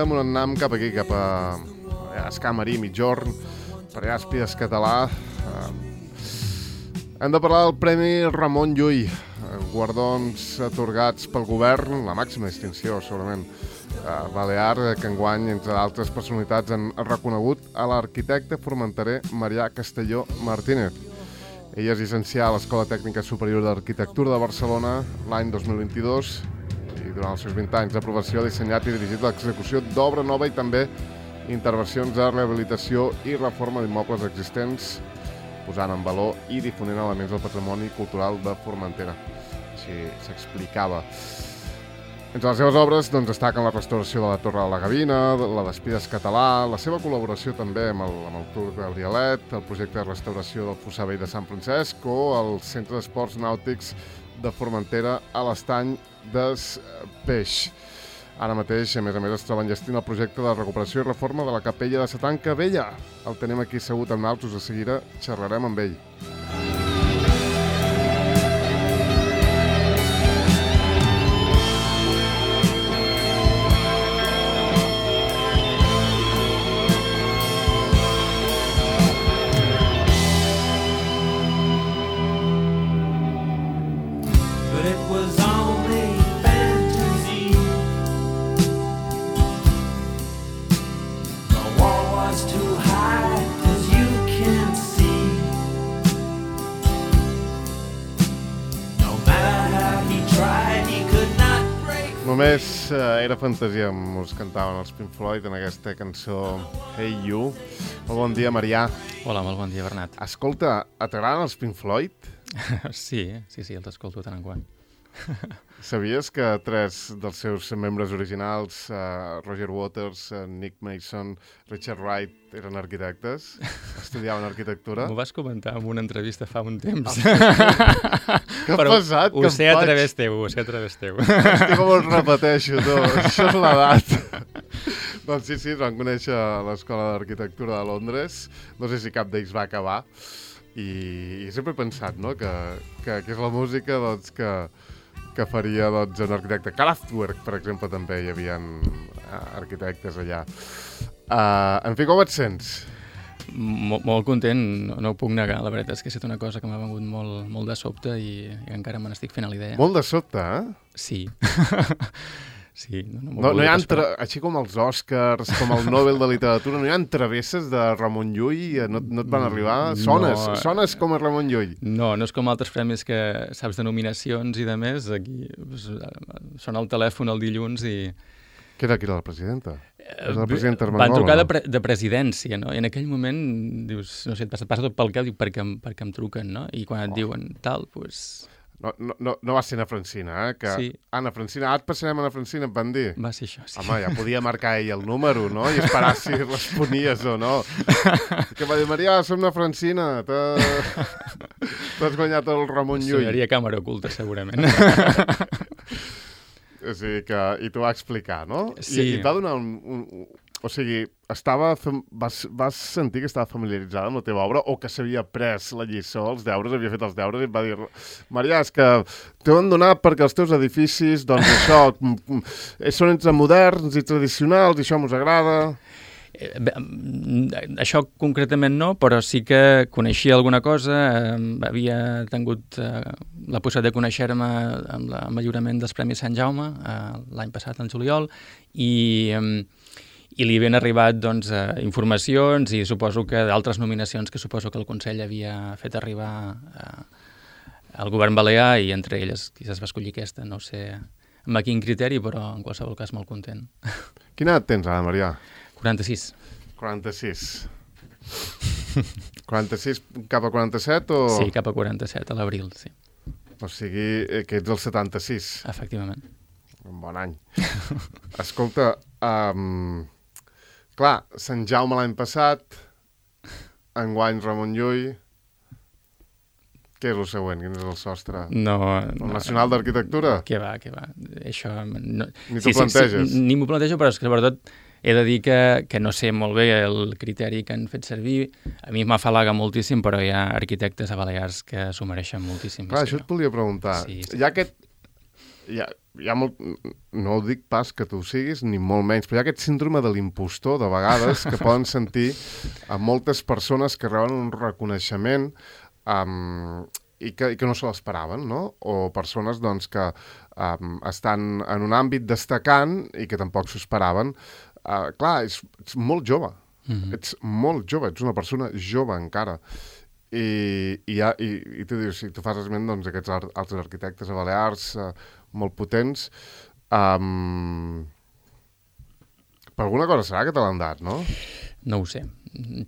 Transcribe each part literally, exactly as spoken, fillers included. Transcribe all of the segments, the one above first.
amb un annam cap aquí, cap a Escamarí, Migjorn, per allà Espies Català. Hem de parlar del Premi Ramon Llull, guardons atorgats pel govern, la màxima distinció, segurament, balear, que enguany, entre d'altres personalitats, han reconegut a l'arquitecte formenterer Marià Castelló Martínez. Ell és llicenciat a l'Escola Tècnica Superior d'Arquitectura de Barcelona l'any dos mil vint-i-dos i durant els seus vint anys d'aprovació ha dissenyat i dirigit l'execució d'obra nova i també intervencions de rehabilitació i reforma d'immobles existents, posant en valor i difonent elements del patrimoni cultural de Formentera. Així s'explicava. Entre les seves obres doncs, destaquen la restauració de la Torre de la Gavina, la d'Espies Català, la seva col·laboració també amb el, amb el Tour Gabrielet, el projecte de restauració del Fossar Vell de Sant Francesc o el Centre d'Esports Nàutics de Formentera a l'Estany des Peix. Ara mateix, a més a més, es troba enllestint el projecte de recuperació i reforma de la capella de sa Tanca Vella. El tenim aquí assegut amb naltros, de seguida xerrarem amb ell. Només eh, era fantasia, ens cantaven els Pink Floyd en aquesta cançó Hey You. Molt bon dia, Marià. Hola, molt bon dia, Bernat. Escolta, t'agraden els Pink Floyd? Sí, sí, sí, els escolto tant en quant. Sabies que tres dels seus membres originals, uh, Roger Waters, uh, Nick Mason, Richard Wright, eren arquitectes? Estudiaven arquitectura? M'ho vas comentar en una entrevista fa un temps. Que però pesat, ho que sé em a faig. través teu, ho sé a través teu. Estic com us repeteixo, tu. Això és l'edat. Doncs sí, sí, es van conèixer a l'Escola d'Arquitectura de Londres. No sé si cap d'ells va acabar. I, i sempre he pensat, no?, que, que, que és la música, doncs, que, que faria, doncs, un arquitecte. Kraftwerk, per exemple, també hi havia arquitectes allà. Uh, en fi, com et sents? Molt, molt content, no, no ho puc negar. La veritat és que ha estat una cosa que m'ha vengut molt, molt de sobte i, i encara me n'estic fent a la idea. Molt de sobte, eh? Sí. Sí, no, no, no, no hi ha entre... Així com els Oscars, com el Nobel de Literatura, no hi ha travesses de Ramon Llull? No, no et van arribar? Sones, no, sones com a Ramon Llull? No, no és com altres premis que saps de nominacions i de més. Aquí pues, sona el telèfon el dilluns i... Què era, qui era la presidenta? És la presidenta Armengol? Van trucar de, pre de presidència, no? I en aquell moment dius, no sé, et passa, passa tot pel cap, dic, perquè, em, perquè em truquen, no? I quan et oh. diuen tal, doncs... Pues... No, no, no, no va ser Anna Francina, eh? Que sí. Anna Francina, ara et passarem a Anna Francina, em van dir. Va ser això, sí. Home, ja podia marcar ell el número, no? I esperar si responies o no. Que va dir, Marià, som Anna Francina, t'has guanyat el Ramon Llull. Sonaria càmera oculta, segurament. O sigui que... I t'ho va explicar, no? Sí. I, i et va donar un... un o sigui, estava, vas, vas sentir que estava familiaritzada amb la teva obra o que s'havia pres la lliçó, els deures, havia fet els deures i et va dir, Marià, és que t'ho han donat perquè els teus edificis, doncs això, són entre moderns i tradicionals i això mos agrada... Eh, això concretament no, però sí que coneixia alguna cosa, eh, havia tingut eh, la possibilitat de conèixer-me amb, la, amb el lliurament dels Premis Sant Jaume eh, l'any passat, en juliol, i... Eh, i li havien arribat doncs, eh, informacions i suposo que d'altres nominacions que suposo que el Consell havia fet arribar eh, al govern balear i entre elles quizás va escollir aquesta, no sé amb a quin criteri, però en qualsevol cas molt content. Quina edat tens ara, Marià? quaranta-sis. quaranta-sis. quaranta-sis cap a quaranta-set o...? Sí, cap a quaranta-set, a l'abril, sí. O sigui que ets del setanta-sis. Efectivament. Un bon any. Escolta, um, clar, Sant Jaume l'any passat, enguany Ramon Llull, què és el següent? Quin és el sostre? No, el no, Nacional d'Arquitectura? Què va, què va. Això... No... Ni t'ho sí, planteges? Sí, sí, ni m'ho plantejo, però és que sobretot he de dir que, que no sé molt bé el criteri que han fet servir. A mi m'afalaga moltíssim, però hi ha arquitectes a Balears que s'ho mereixen moltíssim. Clar, això et volia preguntar. Sí, sí. Hi ha aquest hi ha, hi ha molt, no ho dic pas que tu ho siguis, ni molt menys, però hi ha aquest síndrome de l'impostor, de vegades, que poden sentir a moltes persones que reben un reconeixement um, i, que, i que no se l'esperaven, no? O persones doncs, que um, estan en un àmbit destacant i que tampoc s'ho esperaven. Uh, clar, és, ets molt jove, mm-hmm. ets molt jove, ets una persona jove encara. I, i, ha, i, i tu dius, si tu fas esment doncs, aquests ar altres arquitectes a Balears uh, molt potents, um, per alguna cosa serà que te l'han dat, no? No ho sé.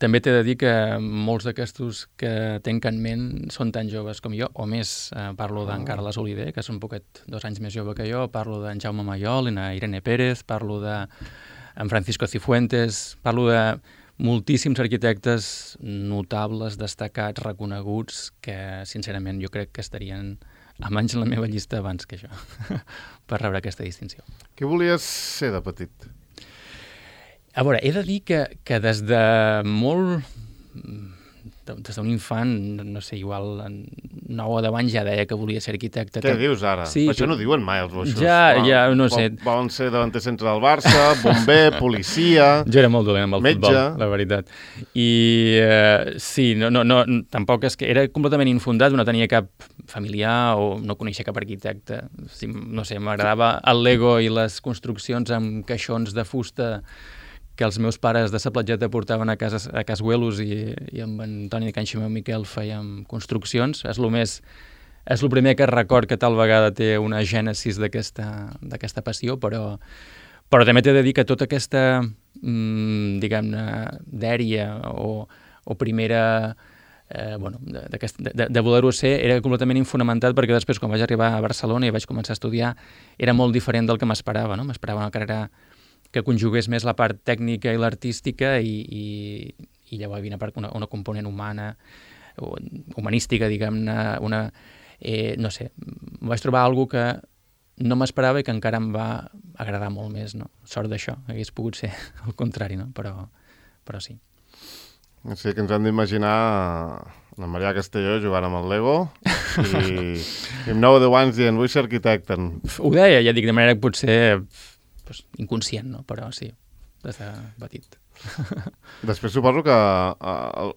També t'he de dir que molts d'aquestos que tenc en ment són tan joves com jo, o més. Eh, parlo d'en Carles Oliver, que és un poquet dos anys més jove que jo, parlo d'en Jaume Mayol, en Irene Pérez, parlo d'en Francisco Cifuentes, parlo de moltíssims arquitectes notables, destacats, reconeguts, que sincerament jo crec que estarien almenys en la meva llista abans que jo per rebre aquesta distinció. Què volies ser de petit? A veure, he de dir que, que des de molt... des d'un infant, no sé, igual nou o deu anys ja deia que volia ser arquitecte. Què dius ara? Sí, Això no diuen mai els boixos. Ja, ja, no sé. Volen ser davanter centre del Barça, bomber, policia... Jo era molt dolent amb el metge. Futbol, la veritat. I uh, sí, no, no, no, tampoc és que... Era completament infundat, no tenia cap familiar o no coneixia cap arquitecte. Sí, no sé, m'agradava el Lego i les construccions amb caixons de fusta que els meus pares de sa platgeta portaven a casa a Casuelos i, i amb en Toni de Can Ximeu Miquel fèiem construccions. És el més... És el primer que record que tal vegada té una gènesis d'aquesta passió, però, però també t'he de dir que tota aquesta, mmm, diguem-ne, dèria o, o primera... Eh, bueno, de, de, de voler-ho ser era completament infonamentat perquè després quan vaig arribar a Barcelona i vaig començar a estudiar era molt diferent del que m'esperava, no? M'esperava una carrera que conjugués més la part tècnica i l'artística i, i, i llavors hi havia una, part, una, una component humana, humanística, diguem-ne, una... Eh, no sé, vaig trobar alguna que no m'esperava i que encara em va agradar molt més, no? Sort d'això, hagués pogut ser el contrari, no? Però, però sí. Sí, que ens hem d'imaginar la Maria Castelló jugant amb el Lego i, i amb nou o deu anys dient vull ser arquitecte. Ho deia, ja dic, de manera que potser pues, inconscient, no? Però sí, des de petit. Després suposo que el,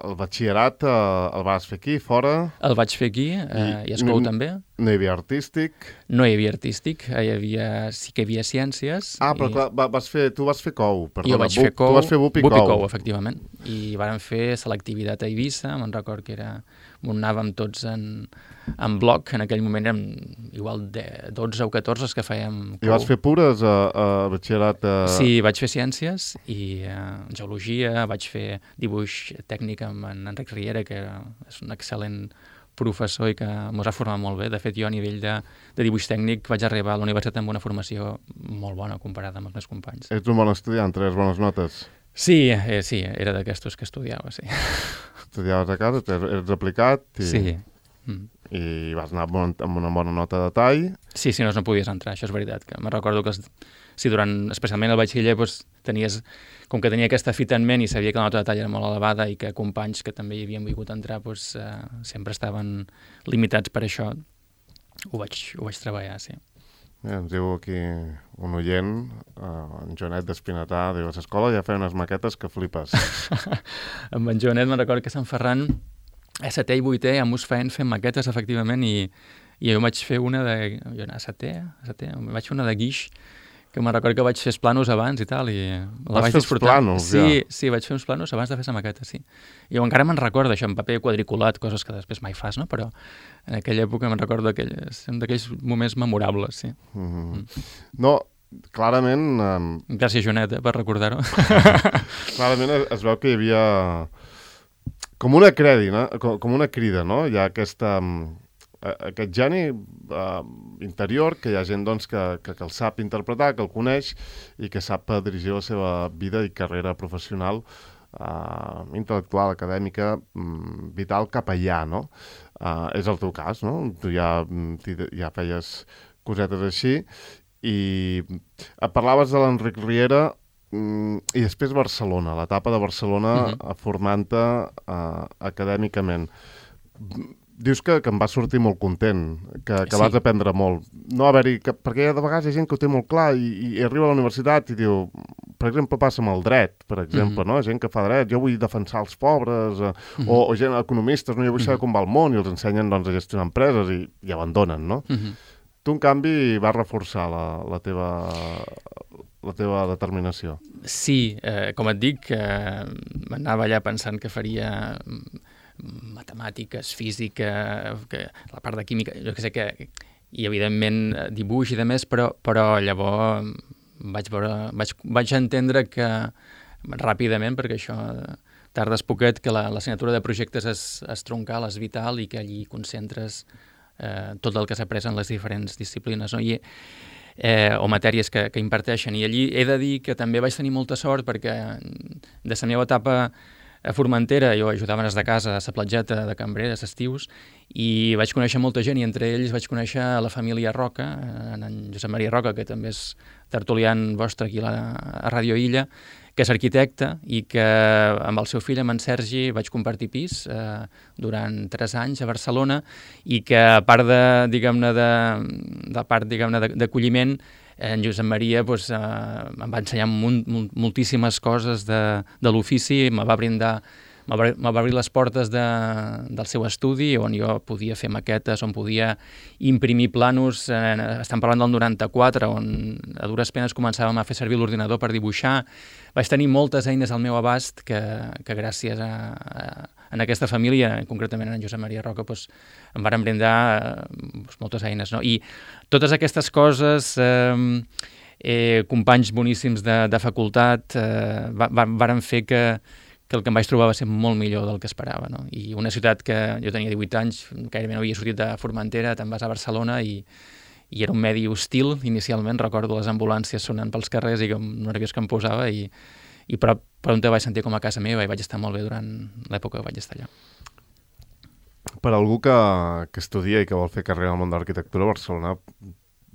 el batxillerat el vas fer aquí, fora? El vaig fer aquí, eh, i Escou també. No hi havia artístic? No hi havia artístic, hi havia, sí que hi havia ciències. Ah, però i... clar, vas fer, tu vas fer cou, perdona. Jo vaig fer cou, tu vas fer bup i bup cou. i cou, efectivament. I vàrem fer selectivitat a Eivissa, me'n record que era... anàvem tots en, en bloc, en aquell moment érem igual de dotze o catorze que fèiem cou. I vas fer pures a, a batxillerat? A... Sí, vaig fer ciències i uh, geologia, vaig fer dibuix tècnic amb en Enric Riera, que és un excel·lent professor i que mos ha format molt bé. De fet, jo a nivell de, de dibuix tècnic vaig arribar a la universitat amb una formació molt bona comparada amb els meus companys. Ets un bon estudiant, treus bones notes? Sí, eh, sí, era d'aquestos que estudiava, sí. Estudiaves a casa, eres aplicat i, sí. mm. i vas anar amb una bona nota de tall. Sí, si no, no podies entrar, això és veritat. Que me recordo que si durant, especialment el batxiller, doncs, tenies, com que tenia aquesta fita en ment i sabia que la nota de tall era molt elevada i que companys que també hi havien volgut entrar doncs, eh, sempre estaven limitats per això, ho vaig, ho vaig treballar, sí. Ja, ens diu aquí un oient, uh, en Joanet d'Espinatà, diu, a l'escola ja feia unes maquetes que flipes. Amb en Joanet me'n recordo que Sant Ferran, a setè i vuitè, ja mos feien fent maquetes, efectivament, i, i jo vaig fer una de... Jo a setè, a setè, vaig fer una de guix, que me'n recordo que vaig fer els planos abans i tal, i la vaig disfrutar. Planos, sí, ja? Sí, vaig fer uns planos abans de fer la maqueta, sí. I jo encara me'n recordo això, en paper quadriculat, coses que després mai fas, no? Però en aquella època me'n recordo d'aquells moments memorables, sí. Mm-hmm. mm. No, clarament... Um... Gràcies, Joanet, eh, per recordar-ho. Clarament es, es veu que hi havia com una crèdina, com, com una crida, no? Hi ha aquesta... Um... aquest geni uh, interior, que hi ha gent doncs, que, que, que el sap interpretar, que el coneix i que sap dirigir la seva vida i carrera professional, uh, intel·lectual, acadèmica, um, vital cap allà, no? Uh, és el teu cas, no? Tu ja, ja feies cosetes així i parlaves de l'Enric Riera um, i després Barcelona, l'etapa de Barcelona mm-hmm. formant-te uh, acadèmicament. dius que, que em va sortir molt content, que, que Sí. vas aprendre molt. No haver-hi... Que, perquè de vegades hi ha gent que ho té molt clar i, i arriba a la universitat i diu... Per exemple, passa amb el dret, per exemple, Mhm. no? Gent que fa dret, jo vull defensar els pobres, eh, Mhm. o, o gent economistes, no? Jo vull saber Mhm. com va el món, i els ensenyen doncs, a gestionar empreses i, i abandonen, no? Mhm. Tu, en canvi, vas reforçar la, la, teva, la teva determinació. Sí, eh, com et dic, eh, m'anava allà pensant que faria mm, matemàtiques, física, que, la part de química, jo que sé que... I, evidentment, eh, dibuix i de més, però, però llavors vaig, veure, vaig, vaig entendre que ràpidament, perquè això tardes poquet, que la- l'assignatura de projectes és, és troncal, és vital i que allí concentres eh, tot el que s'ha après en les diferents disciplines, no? I, eh, o matèries que, que imparteixen. I allí he de dir que també vaig tenir molta sort perquè de la meva etapa a Formentera jo ajudava des de casa a la platgeta de cambrer, a estius, i vaig conèixer molta gent, i entre ells vaig conèixer la família Roca, en Josep Maria Roca, que també és tertulian vostre aquí a, la, a Ràdio Illa, que és arquitecte i que amb el seu fill, amb en Sergi, vaig compartir pis eh, durant tres anys a Barcelona, i que a part de, diguem-ne, de, de part, diguem-ne, d'acolliment, en Josep Maria doncs, eh, em va ensenyar molt, molt, moltíssimes coses de, de l'ofici, me va brindar, me va, me va obrir les portes de, del seu estudi, on jo podia fer maquetes, on podia imprimir planos, eh, estem parlant del noranta-quatre, on a dures penes començàvem a fer servir l'ordinador per dibuixar. Vaig tenir moltes eines al meu abast que, que gràcies a, a, en aquesta família, concretament en Josep Maria Roca, doncs, em van brindar doncs, moltes eines. No? I totes aquestes coses, eh, eh, companys boníssims de, de facultat, eh, va, va, varen fer que, que el que em vaig trobar va ser molt millor del que esperava. No? I una ciutat que jo tenia divuit anys, gairebé no havia sortit de Formentera, te'n vas a Barcelona i, i era un medi hostil inicialment, recordo les ambulàncies sonant pels carrers i com nerviós que em posava, i, i però, però on te vaig sentir com a casa meva i vaig estar molt bé durant l'època que vaig estar allà. Per algú que, que estudia i que vol fer carrera al món de l'arquitectura, Barcelona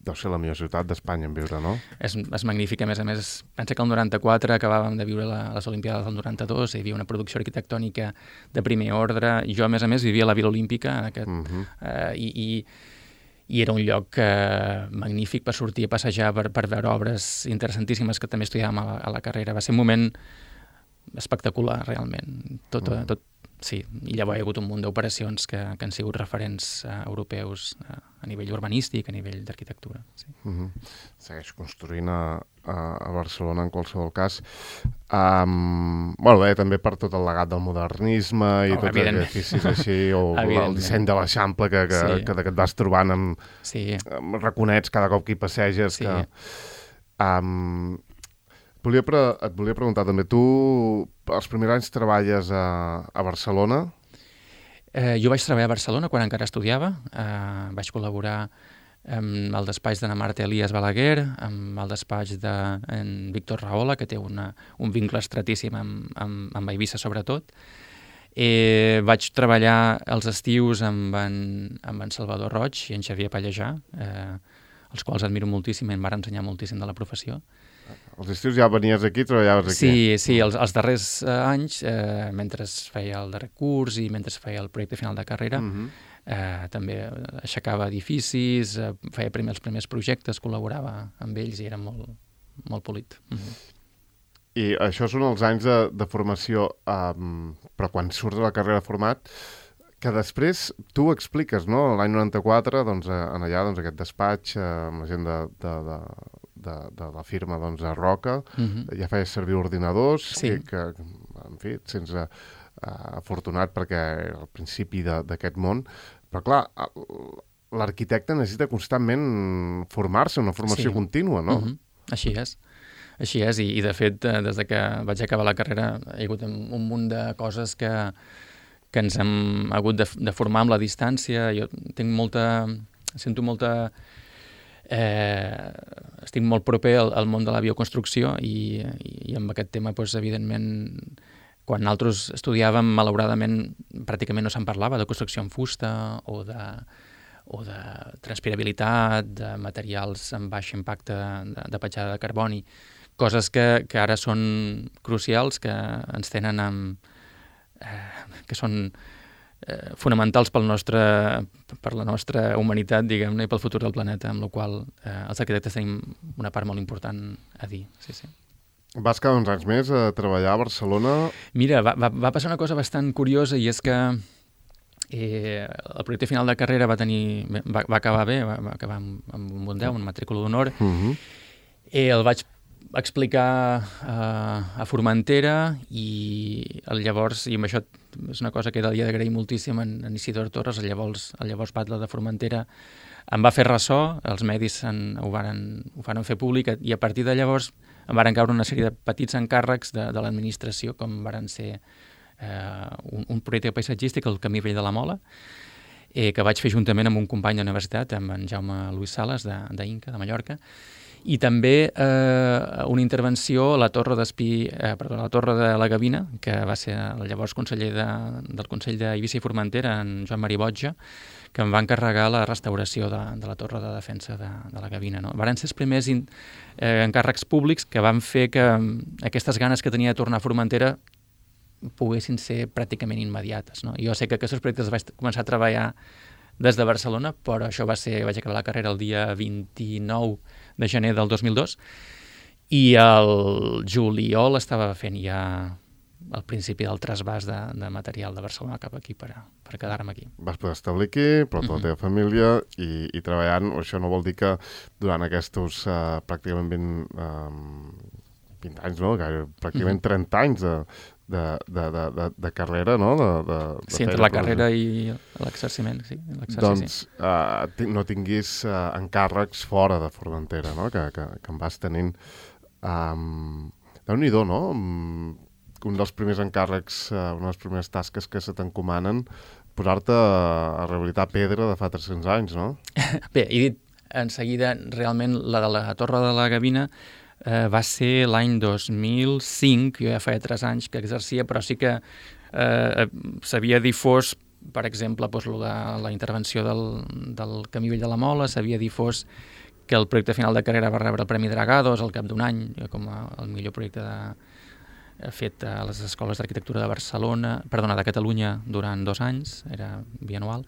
deu ser la millor ciutat d'Espanya en viure, no? És, és magnífic, a més a més, pensa que el noranta-quatre acabàvem de viure la, les Olimpiades del noranta-dos, hi havia una producció arquitectònica de primer ordre, i jo a més a més vivia a la Vila Olímpica, en aquest, uh -huh. eh, i, i, i era un lloc eh, magnífic per sortir a passejar, per, per veure obres interessantíssimes que també estudiàvem a la, a la carrera. Va ser un moment espectacular, realment. Tot, uh -huh. tot, sí, i llavors hi ha hagut un munt d'operacions que, que han sigut referents uh, europeus uh, a nivell urbanístic, a nivell d'arquitectura. Sí. Uh -huh. Segueix construint a, a, a Barcelona en qualsevol cas. Um, bueno, bé, també per tot el legat del modernisme i oh, tots els edificis així, o el disseny de l'Eixample que, que, sí. que, que et vas trobant amb, sí. amb raconets cada cop que hi passeges. Sí. Que, um, volia pre et volia preguntar també, tu els primers anys treballes a, a Barcelona? Eh, jo vaig treballar a Barcelona quan encara estudiava, eh, vaig col·laborar amb el despatx d'Anna Marta Elias Balaguer, amb el despatx de en Víctor Rahola, que té una, un vincle estratíssim amb, amb, amb Eivissa sobretot. Eh, vaig treballar els estius amb en, amb en Salvador Roig i en Xavier Pallejà, eh, els quals admiro moltíssim i em van ensenyar moltíssim de la professió. Els estius ja venies aquí, treballaves aquí? Sí, sí, els, els darrers eh, anys, eh, mentre feia el darrer curs i mentre feia el projecte final de carrera, uh -huh. eh, també aixecava edificis, eh, feia primer, els primers projectes, col·laborava amb ells i era molt, molt polit. Uh -huh. I això són els anys de, de formació, um, però quan surts de la carrera format, que després tu ho expliques, no? L'any noranta-quatre, doncs, en allà, doncs, aquest despatx, eh, amb la gent de... de, de De, de la firma doncs, a Roca, uh -huh. ja feies servir ordinadors, sí. que, que, en fi, sense uh, afortunat perquè al principi d'aquest món, però clar, l'arquitecte necessita constantment formar-se, una formació sí. contínua, no? Uh -huh. Així és. Així és, i, i de fet, des de que vaig acabar la carrera hi ha hagut un munt de coses que, que ens hem hagut de, de formar amb la distància. Jo tinc molta... sento molta... Eh, estic molt proper al, al món de la bioconstrucció i, i, i amb aquest tema, doncs, evidentment, quan nosaltres estudiàvem, malauradament, pràcticament no se'n parlava de construcció en fusta o de, o de transpirabilitat, de materials amb baix impacte de, de petjada de carboni, coses que, que ara són crucials, que ens tenen amb... Eh, que són eh, fonamentals pel nostre, per la nostra humanitat, diguem-ne, i pel futur del planeta, amb la qual eh, els arquitectes tenim una part molt important a dir. Sí, sí. Vas quedar uns anys més a treballar a Barcelona? Mira, va, va, va passar una cosa bastant curiosa, i és que eh, el projecte final de carrera va tenir va, va acabar bé, va, va acabar amb, amb un bon deu, un matrícula d'honor. Uh-huh. eh, el vaig explicar uh, a Formentera, i el llavors, i amb això és una cosa que he d'agrair moltíssim en, en Isidor Torres, el llavors, el llavors batlle de Formentera, em va fer ressò, els medis en, ho, varen, ho varen fer públic, i a partir de llavors em varen caure una sèrie de petits encàrrecs de, de l'administració, com varen ser eh, un, un projecte paisatgístic, el Camí Vell de la Mola, eh, que vaig fer juntament amb un company d'universitat, amb en Jaume Luis Sales, d'Inca, de, de Mallorca, i també eh, una intervenció a la Torre d'Espí, eh, perdó, a la Torre de la Gavina, que va ser el llavors conseller de, del Consell d'Eivissa i Formentera, en Joan Maria Botja, que em va encarregar la restauració de, de la Torre de Defensa de, de la Gavina. No? Varen ser els primers in, eh, encàrrecs públics que van fer que aquestes ganes que tenia de tornar a Formentera poguessin ser pràcticament immediates. No? Jo sé que aquests projectes vaig començar a treballar des de Barcelona, però això va ser, vaig acabar la carrera el dia vint-i-nou de gener del dos mil dos, i el juliol estava fent ja al principi del trasbàs de, de material de Barcelona cap aquí per, a, per quedar-me aquí. Vas poder establir aquí, però tota la teva família, i, i treballant, això no vol dir que durant aquests uh, pràcticament vint, um, vint anys, no? Gaire, pràcticament trenta anys de, de, de, de, de, de carrera, no? De, de, de sí, entre la carrera i l'exerciment, sí. Doncs uh, no tinguis uh, encàrrecs fora de Formentera, no? Que, que, que em vas tenint. Um, Déu-n'hi-do, no? Um, un dels primers encàrrecs, uh, una de les primeres tasques que se t'encomanen, posar-te a, a rehabilitar pedra de fa tres-cents anys, no? Bé, he dit en seguida, realment, la de la Torre de la Gavina eh, va ser l'any dos mil cinc, jo ja feia tres anys que exercia, però sí que eh, s'havia difós, per exemple, doncs, la, la intervenció del, del Camí Vell de la Mola, s'havia difós que el projecte final de carrera va rebre el Premi Dragados al cap d'un any, com a, el millor projecte de fet a les escoles d'arquitectura de Barcelona, perdona, de Catalunya, durant dos anys, era bianual,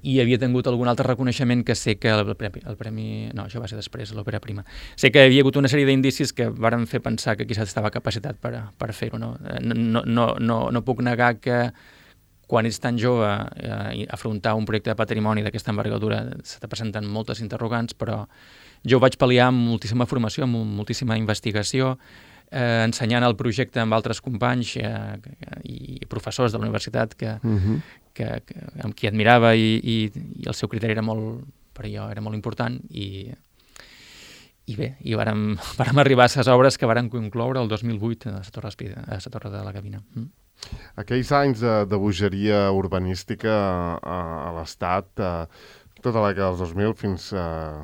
i havia tingut algun altre reconeixement que sé que el premi, el premi no, això va ser després, l'òpera prima. Sé que hi havia hagut una sèrie d'indicis que varen fer pensar que quizás estava capacitat per, per fer-ho. No? No, no, no, no puc negar que quan ets tan jove eh, afrontar un projecte de patrimoni d'aquesta envergadura se te presenten moltes interrogants, però jo ho vaig pal·liar amb moltíssima formació, amb moltíssima investigació, Eh, ensenyant el projecte amb altres companys eh, i professors de la universitat que, uh-huh. que, que, amb qui admirava, i, i, i el seu criteri era molt, per jo era molt important, i, i bé, i vàrem, vàrem arribar a les obres que varen concloure el dos mil vuit a la Torre, a la Torre de la Gavina. Mm. Aquells anys de, de bogeria urbanística a, a l'Estat, eh, tota la dècada dels dos mil fins, eh,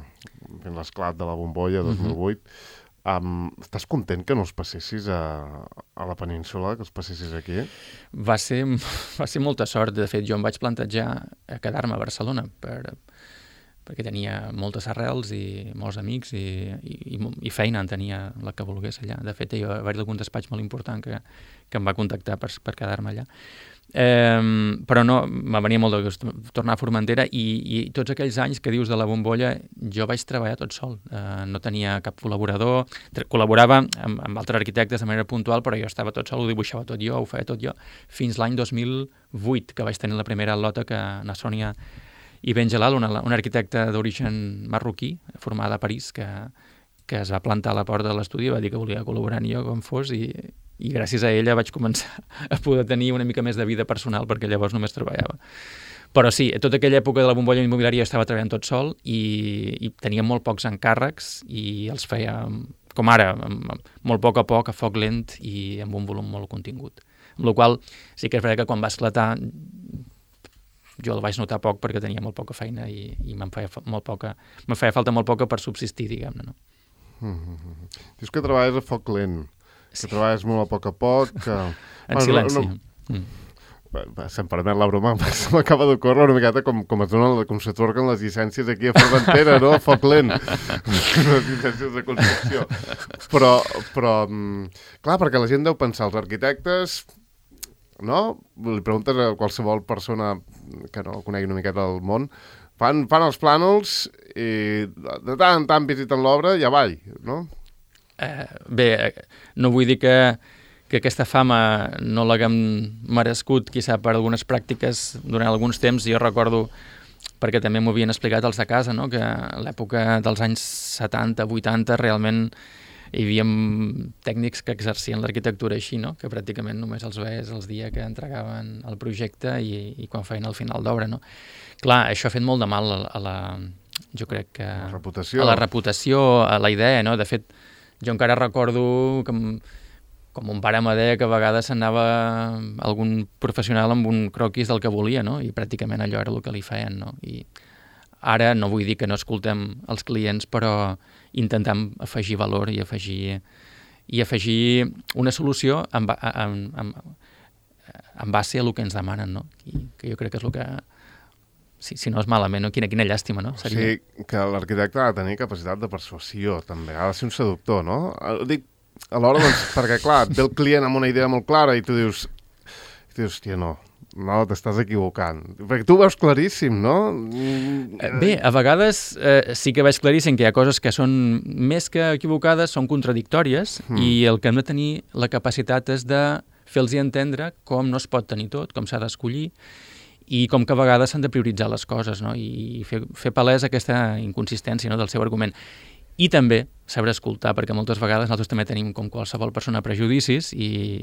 fins l'esclat de la bombolla dos mil vuit, uh-huh. Um, estàs content que no els passessis a, a la península, que els passessis aquí? Va ser, va ser molta sort. De fet, jo em vaig plantejar a quedar-me a Barcelona per, perquè tenia moltes arrels i molts amics i, i, i feina en tenia la que volgués allà. De fet, jo vaig d'algun despatx molt important que, que em va contactar per, per quedar-me allà. Eh, però no, me venia molt de gust tornar a Formentera, i, i tots aquells anys que dius de la bombolla jo vaig treballar tot sol, eh, no tenia cap col·laborador, col·laborava amb, amb altres arquitectes de manera puntual, però jo estava tot sol, ho dibuixava tot jo, ho feia tot jo, fins l'any dos mil vuit, que vaig tenir la primera al·lota, que Nassònia i Benjelal, una, una arquitecta d'origen marroquí, formada a París, que, que es va plantar a la porta de l'estudi i va dir que volia col·laborar amb jo com fos, i i gràcies a ella vaig començar a poder tenir una mica més de vida personal, perquè llavors només treballava. Però sí, a tota aquella època de la bombolla immobiliària jo estava treballant tot sol, i, i tenia molt pocs encàrrecs, i els feia, com ara, molt poc a poc, a foc lent i amb un volum molt contingut. Amb la qual sí que és veritat que quan va esclatar jo el vaig notar poc perquè tenia molt poca feina i, i me'n feia, molt poca, me'n feia falta molt poca per subsistir, diguem-ne. No? Mm-hmm. Dius que treballes a foc lent, que sí. Treballes molt a poc a poc. Que... En bueno, silenci. No, no... Mm. Si em permet la broma, m'acaba d'ocórrer una miqueta com, com es donen, com s'atorguen les llicències aquí a Formentera, no? A foc lent. Les llicències de construcció. Però, però, clar, perquè la gent deu pensar, els arquitectes no? Li preguntes a qualsevol persona que no conegui una miqueta del món, fan, fan els plànols i de tant en tant visiten l'obra i avall, no? Eh, bé, no vull dir que, que aquesta fama no l'haguem merescut, quizà per algunes pràctiques durant alguns temps. Jo recordo, perquè també m'ho havien explicat els de casa, no? Que a l'època dels anys setanta, vuitanta, realment hi havia tècnics que exercien l'arquitectura així, no? Que pràcticament només els veies els dies que entregaven el projecte i, i quan feien el final d'obra, no? Clar, això ha fet molt de mal a, a la... jo crec que... La reputació. A la reputació, a la idea, no? De fet, jo encara recordo que, com un pare me deia que a vegades s'anava algun professional amb un croquis del que volia, no? I pràcticament allò era el que li feien, no? I ara no vull dir que no escoltem els clients, però intentem afegir valor i afegir, i afegir una solució en, en, en, en base a el que ens demanen, no? I que jo crec que és el que... Si, si no és malament, no? Quina, quina llàstima, no? Seria... O sigui, que l'arquitecte ha de tenir capacitat de persuasió, també. Ha de ser un seductor, no? Dic, alhora, doncs, perquè, clar, et ve el client amb una idea molt clara i tu dius, i tu dius, hòstia, no, no, t'estàs equivocant. Perquè tu ho veus claríssim, no? Bé, a vegades eh, sí que veig claríssim que hi ha coses que són més que equivocades, són contradictòries, mm. i el que hem de tenir la capacitat és de fer-los entendre com no es pot tenir tot, com s'ha d'escollir, i com que a vegades s'han de prioritzar les coses, no? I fer, fer palès aquesta inconsistència, no? Del seu argument. I també saber escoltar, perquè moltes vegades nosaltres també tenim, com qualsevol persona, prejudicis i,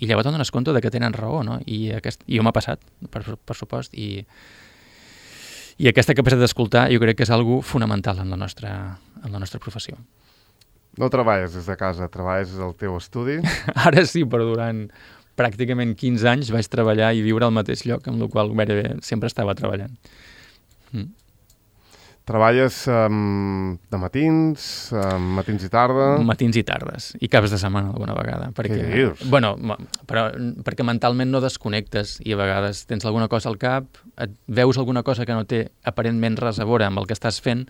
i llavors et dones compte de que tenen raó, no? I, aquest, i jo m'ha passat, per, per supost, i, i aquesta capacitat d'escoltar jo crec que és algo fonamental en la nostra, en la nostra professió. No treballes des de casa, treballes des del teu estudi? Ara sí, però durant pràcticament quinze anys vaig treballar i viure al mateix lloc, amb el qual gairebé sempre estava treballant. Mm. Treballes um, de matins, um, matins i tarda? Matins i tardes, i caps de setmana alguna vegada. Perquè, Què dius? Bueno, però, perquè mentalment no desconnectes i a vegades tens alguna cosa al cap, et veus alguna cosa que no té aparentment res a veure amb el que estàs fent,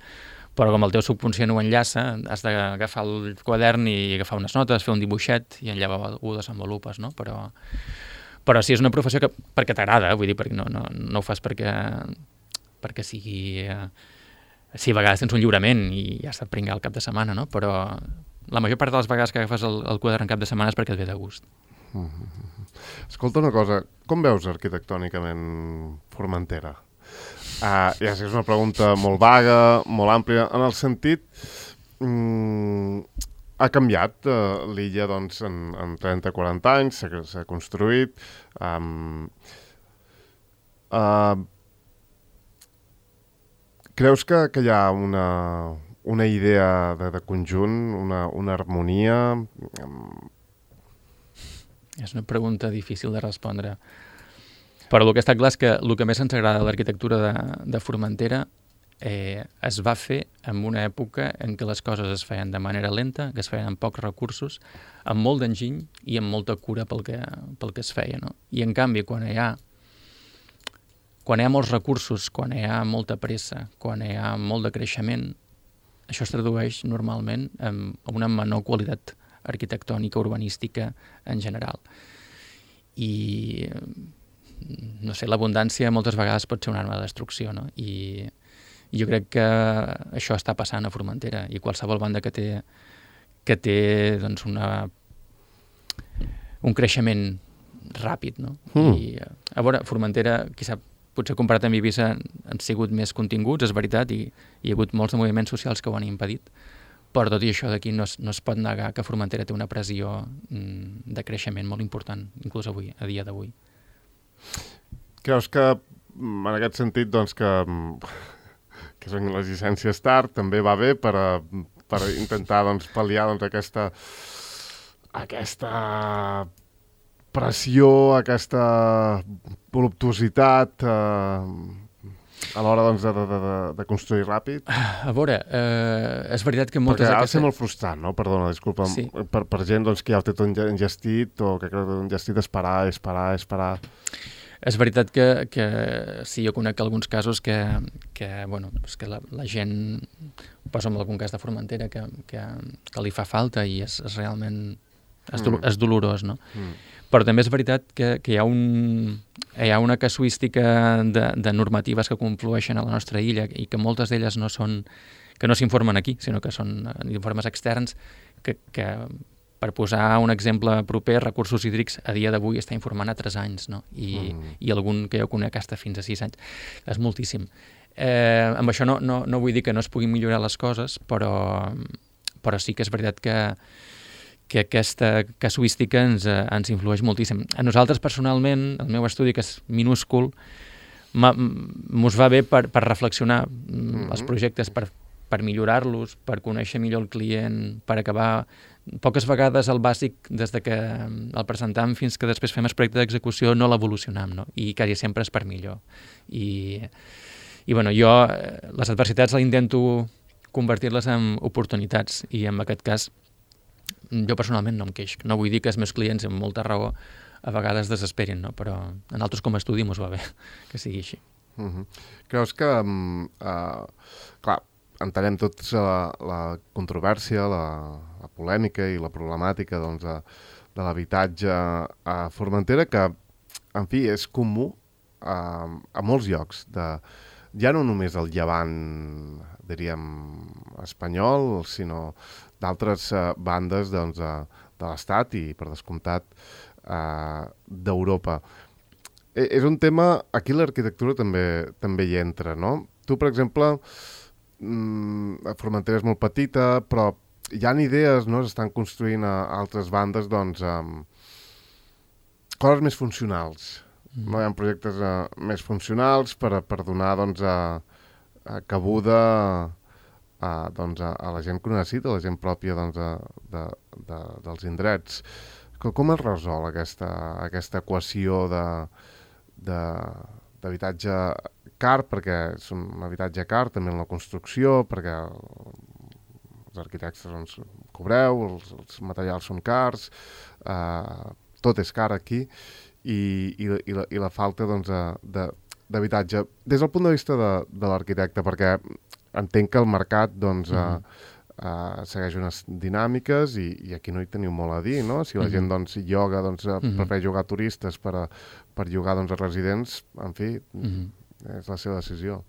però com el teu subconscient ho enllaça, has d'agafar el quadern i agafar unes notes, fer un dibuixet i allà ho desenvolupes, no? Però, però sí, és una professió que perquè t'agrada, vull dir, perquè no, no, no ho fas perquè, perquè sigui... Eh, sí, a vegades tens un lliurament i ja has de pringar el cap de setmana, no? Però la major part de les vegades que agafes el, el quadern en cap de setmana és perquè et ve de gust. Mm-hmm. Escolta una cosa, com veus arquitectònicament Formentera? Uh, ja sé que és una pregunta molt vaga, molt àmplia, en el sentit... Mm, ha canviat uh, l'illa doncs, en, en trenta a quaranta anys, s'ha construït... Um, uh, creus que, que hi ha una, una idea de, de conjunt, una, una harmonia? Um... És una pregunta difícil de respondre. Però el que està clar és que el que més ens agrada de l'arquitectura de, de Formentera eh, es va fer en una època en què les coses es feien de manera lenta, que es feien amb pocs recursos, amb molt d'enginy i amb molta cura pel que, pel que es feia, no? I en canvi, quan hi ha quan hi ha molts recursos, quan hi ha molta pressa, quan hi ha molt de creixement, això es tradueix normalment en una menor qualitat arquitectònica, urbanística en general. I no sé, l'abundància moltes vegades pot ser una arma de destrucció, no? I jo crec que això està passant a Formentera i qualsevol banda que té, que té doncs una, un creixement ràpid, no? Mm. I a veure, Formentera, qui sap, potser comparat amb Eivissa han sigut més continguts, és veritat, i hi ha hagut molts de moviments socials que ho han impedit, però tot i això d'aquí no, es, no es pot negar que Formentera té una pressió mm, de creixement molt important, inclús avui, a dia d'avui. Creus que, en aquest sentit, doncs, que, que són les llicències tard, també va bé per, a, per intentar doncs, pal·liar doncs, aquesta, aquesta pressió, aquesta voluptuositat eh, a l'hora doncs, de, de, de, de construir ràpid? A veure, eh, és veritat que moltes... Perquè ha de aquestes... ser molt frustrant, no? Perdona, disculpa. Sí. Per, per gent doncs, que ja ho té tot engestit o que creu que engestit esperar, esperar, esperar... És veritat que, que sí, jo conec alguns casos que, que, bueno, és que la, la gent, posa en algun cas de Formentera, que, que, que li fa falta i és, és realment és, do, Mm. és dolorós, no? Mm. Però també és veritat que, que hi, ha un, hi ha una casuística de, de normatives que conflueixen a la nostra illa i que moltes d'elles no són, que no s'informen aquí, sinó que són informes externs que, que per posar un exemple proper, Recursos Hídrics a dia d'avui està informant a tres anys, no? I, mm. i algun que jo conec està fins a sis anys. És moltíssim. Eh, amb això no, no, no vull dir que no es puguin millorar les coses, però, però sí que és veritat que, que aquesta casuística ens, eh, ens influeix moltíssim. A nosaltres, personalment, el meu estudi, que és minúscul, mos va bé per, per reflexionar mm-hmm. els projectes, per, per millorar-los, per conèixer millor el client, per acabar... Poques vegades el bàsic, des de que el presentam fins que després fem el projecte d'execució, no l'evolucionam, no? I quasi sempre és per millor. I, i bueno, jo les adversitats les intento convertir-les en oportunitats i en aquest cas jo personalment no em queix. No vull dir que els meus clients, amb molta raó, a vegades desesperin, no? Però en altres com a estudi mos va bé que sigui així. Uh-huh. Creus que, um, uh, clar, entenem tots la, la controvèrsia, la, la polèmica i la problemàtica doncs, de, de l'habitatge a Formentera, que, en fi, és comú a, a molts llocs, de, ja no només el llevant, diríem, espanyol, sinó d'altres uh, bandes doncs, uh, de l'Estat i, per descomptat, uh, d'Europa. E- és un tema, aquí l'arquitectura també, també hi entra, no? Tu, per exemple, mm, Formentera és molt petita, però hi ha idees, no? S'estan construint a altres bandes, doncs, um, coses més funcionals. Mm. No? Hi ha projectes uh, més funcionals per, per donar, doncs, a, a cabuda a, doncs, a, a la gent que ho necessita, a la gent pròpia doncs, de, de, de, dels indrets. Com, com es resol aquesta, aquesta equació de, de, d'habitatge car, perquè és un habitatge car també en la construcció, perquè els arquitectes doncs, cobreu, els, els materials són cars, eh, tot és car aquí, i, i, i, la, i la falta doncs, de, d'habitatge. Des del punt de vista de, de l'arquitecte, perquè entenc que el mercat doncs, mm-hmm. eh, eh, segueix unes dinàmiques i, i aquí no hi teniu molt a dir, no? Si la mm-hmm. gent doncs, lloga, doncs, mm-hmm. prefereix llogar turistes per, a, per llogar doncs, a residents, en fi, mm-hmm. és la seva decisió.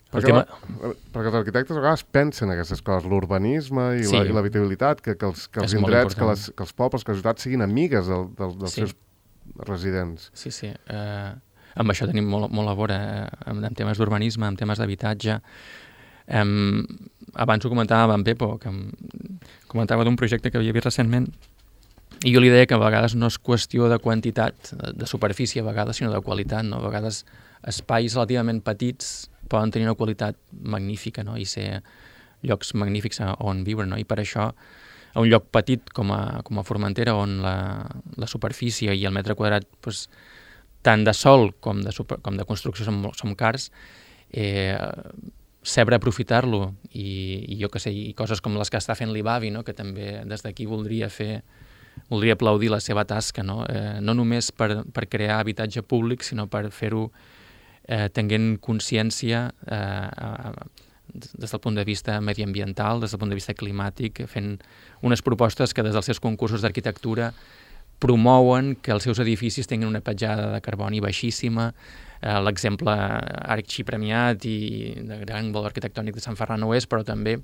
Perquè, tema... la, perquè els arquitectes a vegades pensen aquestes coses, l'urbanisme i, sí. la, i l'habitabilitat, que, que els, que els indrets, que, les, que els pobles, que les ciutats siguin amigues del, del, dels sí. seus residents. Sí, sí. Uh, amb això tenim molt, molt a veure, uh, en temes d'urbanisme, en temes d'habitatge. Um, abans ho comentava amb Pepo, que em comentava d'un projecte que havia vist recentment, i jo li deia que a vegades no és qüestió de quantitat, de, de superfície a vegades, sinó de qualitat, no? A vegades espais relativament petits poden tenir una qualitat magnífica, no? I ser llocs magnífics on viure, no? I per això, a un lloc petit com a, com a Formentera, on la, la superfície i el metre quadrat, pues, tant de sòl com de, super, com de construcció som, som cars, eh, saber aprofitar-lo i, i jo que sé, i coses com les que està fent l'I B A V I, no? Que també des d'aquí voldria fer voldria aplaudir la seva tasca, no? Eh, no només per, per crear habitatge públic, sinó per fer-ho eh, tenint consciència eh, des del punt de vista mediambiental, des del punt de vista climàtic, fent unes propostes que des dels seus concursos d'arquitectura promouen que els seus edificis tinguin una petjada de carboni baixíssima. Eh, l'exemple Arc premiat i de gran valor arquitectònic de Sant Ferran ho és, però també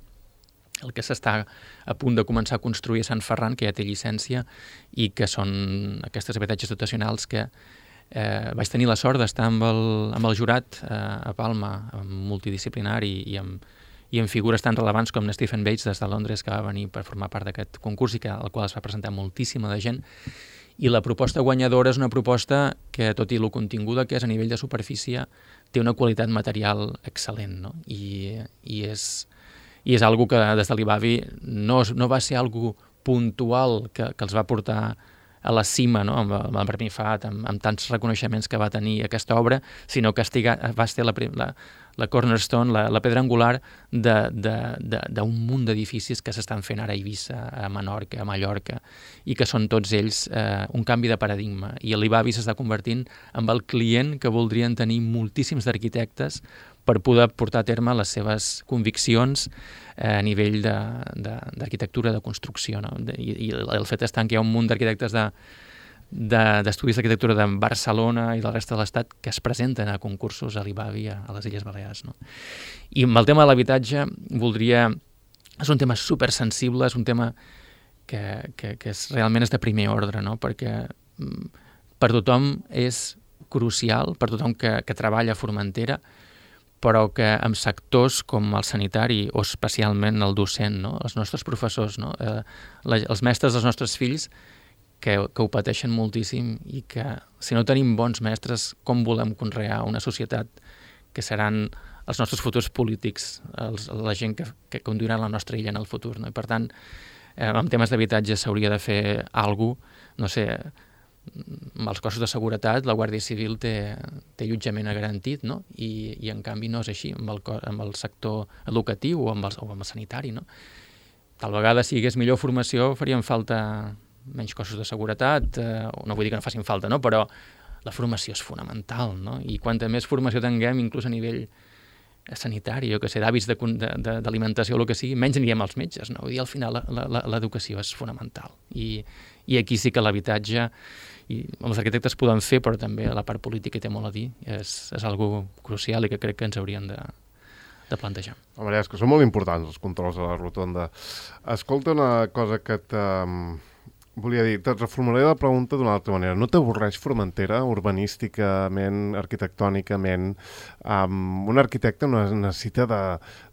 el que s'està a punt de començar a construir a Sant Ferran, que ja té llicència, i que són aquestes habitatges dotacionals que eh, vaig tenir la sort d'estar amb el, amb el jurat eh, a Palma, multidisciplinari i amb, i amb figures tan relevants com Stephen Bates des de Londres, que va venir per formar part d'aquest concurs i que, al qual es va presentar moltíssima de gent. I la proposta guanyadora és una proposta que, tot i lo continguda que és a nivell de superfície, té una qualitat material excel·lent, no? I, i és... I és algo que des de l'I B A V I no, no va ser algo puntual que, que els va portar a la cima, no? amb, amb el Premi F A T, amb, amb tants reconeixements que va tenir aquesta obra, sinó que estiga, va ser la, la, la cornerstone, la, la pedra angular d'un munt d'edificis que s'estan fent ara a Eivissa, a Menorca, a Mallorca, i que són tots ells eh, un canvi de paradigma. I l'I B A B I s'està convertint en el client que voldrien tenir moltíssims arquitectes per poder portar a terme les seves conviccions eh, a nivell d'arquitectura, de, de, de construcció. No? De, i, I el fet està que hi ha un munt d'arquitectes de, de, d'estudis d'arquitectura de Barcelona i de la resta de l'Estat que es presenten a concursos a l'I B A B I a, a les Illes Balears. No? I amb el tema de l'habitatge voldria... És un tema supersensible, és un tema que, que, que és, realment és de primer ordre, no? Perquè mm, per tothom és crucial, per tothom que, que treballa a Formentera, però que en sectors com el sanitari o especialment el docent, no? Els nostres professors, no? eh, la, els mestres dels nostres fills que, que ho pateixen moltíssim i que si no tenim bons mestres, com volem conrear una societat que seran els nostres futurs polítics, els, la gent que, que conduirà la nostra illa en el futur. No? I per tant, eh, en temes d'habitatge s'hauria de fer alguna cosa, no sé, amb els cossos de seguretat, la Guàrdia Civil té, té allotjament garantit, no? I, i en canvi no és així amb el, amb el sector educatiu o amb el, o amb el sanitari. No? Tal vegada, si hi hagués millor formació, farien falta menys cossos de seguretat, eh, no vull dir que no facin falta, no? Però la formació és fonamental, no? I quanta més formació tinguem, inclús a nivell sanitari, jo que sé, d'hàbits d'alimentació o el que sigui, menys anirem als metges, no? Vull dir, al final l'educació és fonamental. I, i aquí sí que l'habitatge, i els arquitectes poden fer, però també la part política hi té molt a dir, és, és algo crucial i que crec que ens haurien de, de plantejar. Home, és que són molt importants els controls a la rotonda. Escolta una cosa que te... Volia dir, te reformularé la pregunta d'una altra manera. No t'avorreix Formentera, urbanísticament, arquitectònicament? Um, un arquitecte necessita de,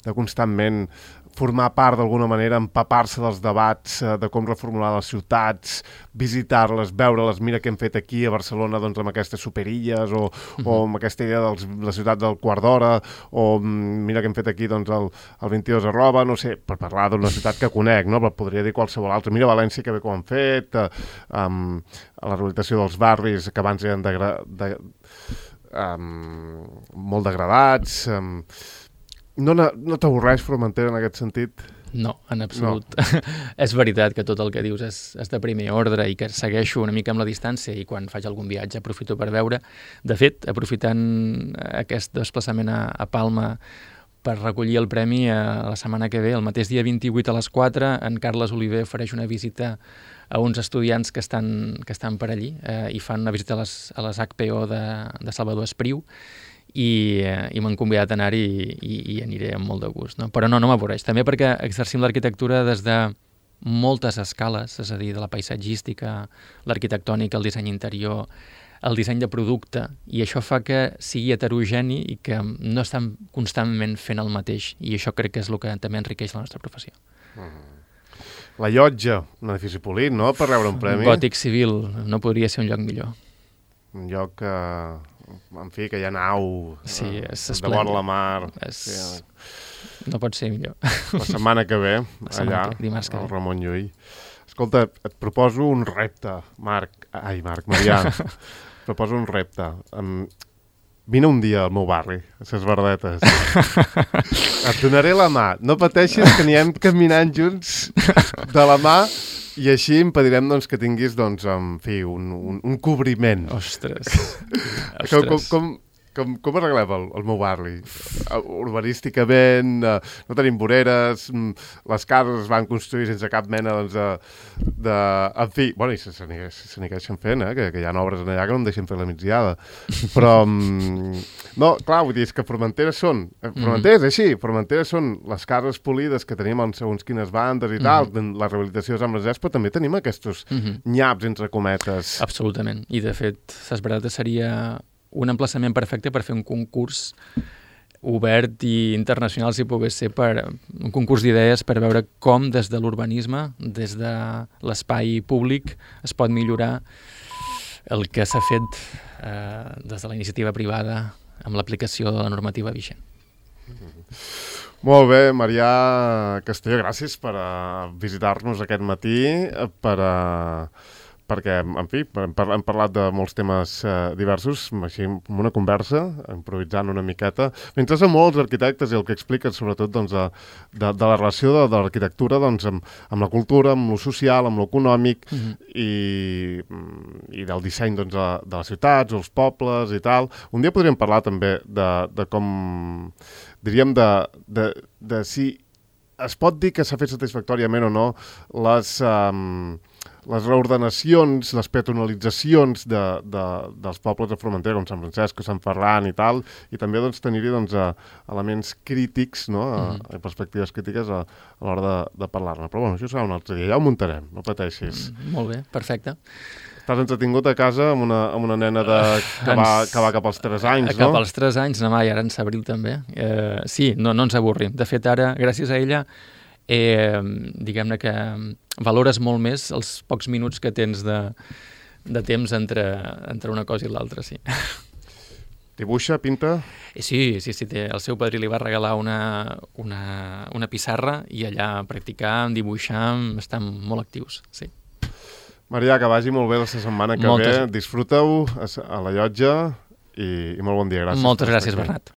de constantment formar part d'alguna manera, empapar-se dels debats eh, de com reformular les ciutats, visitar-les, veure-les, mira què hem fet aquí a Barcelona doncs, amb aquestes superilles o, uh-huh. o amb aquesta idea de la ciutat del quart d'hora o mira què hem fet aquí doncs, el, el vint-i-dos arroba, no sé, per parlar d'una ciutat que conec, no? Però podria dir qualsevol altra. Mira València, que bé com han fet, eh, um, la rehabilitació dels barris que abans eren de, de, um, molt degradats... Um, No, no, no t'avorreix Formentera en aquest sentit? No, en absolut. No. És veritat que tot el que dius és, és de primer ordre i que segueixo una mica amb la distància i quan faig algun viatge aprofito per veure. De fet, aprofitant aquest desplaçament a, a Palma per recollir el premi a la setmana que ve, el mateix dia vint-i-vuit a les quatre, en Carles Oliver ofereix una visita a uns estudiants que estan, que estan per allí eh, i fan una visita a les, a les H P O de, de Salvador Espriu, i, i m'han convidat a anar-hi i, i, i aniré amb molt de gust. No? Però no, no m'avorreix. També perquè exercim l'arquitectura des de moltes escales, és a dir, de la paisatgística, l'arquitectònica, el disseny interior, el disseny de producte, i això fa que sigui heterogeni i que no estem constantment fent el mateix, i això crec que és el que també enriqueix la nostra professió. Mm. La Llotja, un edifici polit, no?, per rebre un premi. Un gòtic civil, no podria ser un lloc millor. Un lloc que... en fi, que hi ha nau, sí, és de vora la mar. És... Sí, no pot ser millor. La setmana que ve, allà, que, que al Ramon Llull. Escolta, et proposo un repte, Marc. Ai, Marc, Marià. Et proposo un repte. Um, vine un dia al meu barri, a ses Verdetes. Et donaré la mà. No pateixis que anirem caminant junts de la mà i així impedirem doncs, que tinguis doncs, en fi, un, un, un cobriment. Ostres. Com, com, com, com, com arreglem el, el meu barri? Urbanísticament, uh, no tenim voreres, les cases es van construir sense cap mena doncs, de, de... En fi, bueno, i se, se n'hi fent, eh? que, que hi ha obres allà que no em deixen fer la migdiada. Però, um, no, clar, vull dir, és que Formentera són... Formentera és així, Formentera són les cases polides que tenim en segons quines bandes i tal, mm-hmm. la rehabilitació és amb les però també tenim aquests mm-hmm. nyaps, entre cometes. Absolutament, i de fet, Ses Verdetes seria un emplaçament perfecte per fer un concurs obert i internacional, si pogués ser, per un concurs d'idees per veure com des de l'urbanisme, des de l'espai públic, es pot millorar el que s'ha fet eh, des de la iniciativa privada amb l'aplicació de la normativa vigent. Molt bé, Marià Castelló, gràcies per uh, visitar-nos aquest matí, per, uh, perquè, en fi, hem, par hem parlat de molts temes eh, diversos, així, amb una conversa, improvisant una miqueta. M'interessen molt els arquitectes i el que expliquen, sobretot, doncs, de, de, de la relació de, de l'arquitectura doncs, amb, amb la cultura, amb lo social, amb lo econòmic, mm-hmm. i, i del disseny doncs, de, de les ciutats, els pobles i tal. Un dia podríem parlar també de, de com, diríem, de, de, de si es pot dir que s'ha fet satisfactòriament o no les... Um, les reordenacions, les peatonalitzacions de, de, dels pobles de Formentera, com Sant Francesc o Sant Ferran i tal, i també doncs, tenir-hi doncs, elements crítics, no? Mm. a, a perspectives crítiques a, a l'hora de, de parlar-ne. Però bueno, això serà un altre dia, ja ho muntarem, no pateixis. Mm, molt bé, perfecte. Estàs entretingut a casa amb una, amb una nena de, que, va, que va cap als tres anys, cap no? Cap als tres anys, demà i ara en s'abril també. Eh, sí, no, no ens avorrim. De fet, ara, gràcies a ella, eh, diguem-ne que valores molt més els pocs minuts que tens de, de temps entre, entre una cosa i l'altra, sí. Dibuixa, pinta? Sí, sí, sí, té, el seu padrí li va regalar una, una, una pissarra i allà practicar, dibuixar, estan molt actius, sí. Marià, que vagi molt bé la setmana que Moltes... ve. Disfruta-ho a la llotja i, i molt bon dia. Gràcies. Moltes gràcies, Bernat.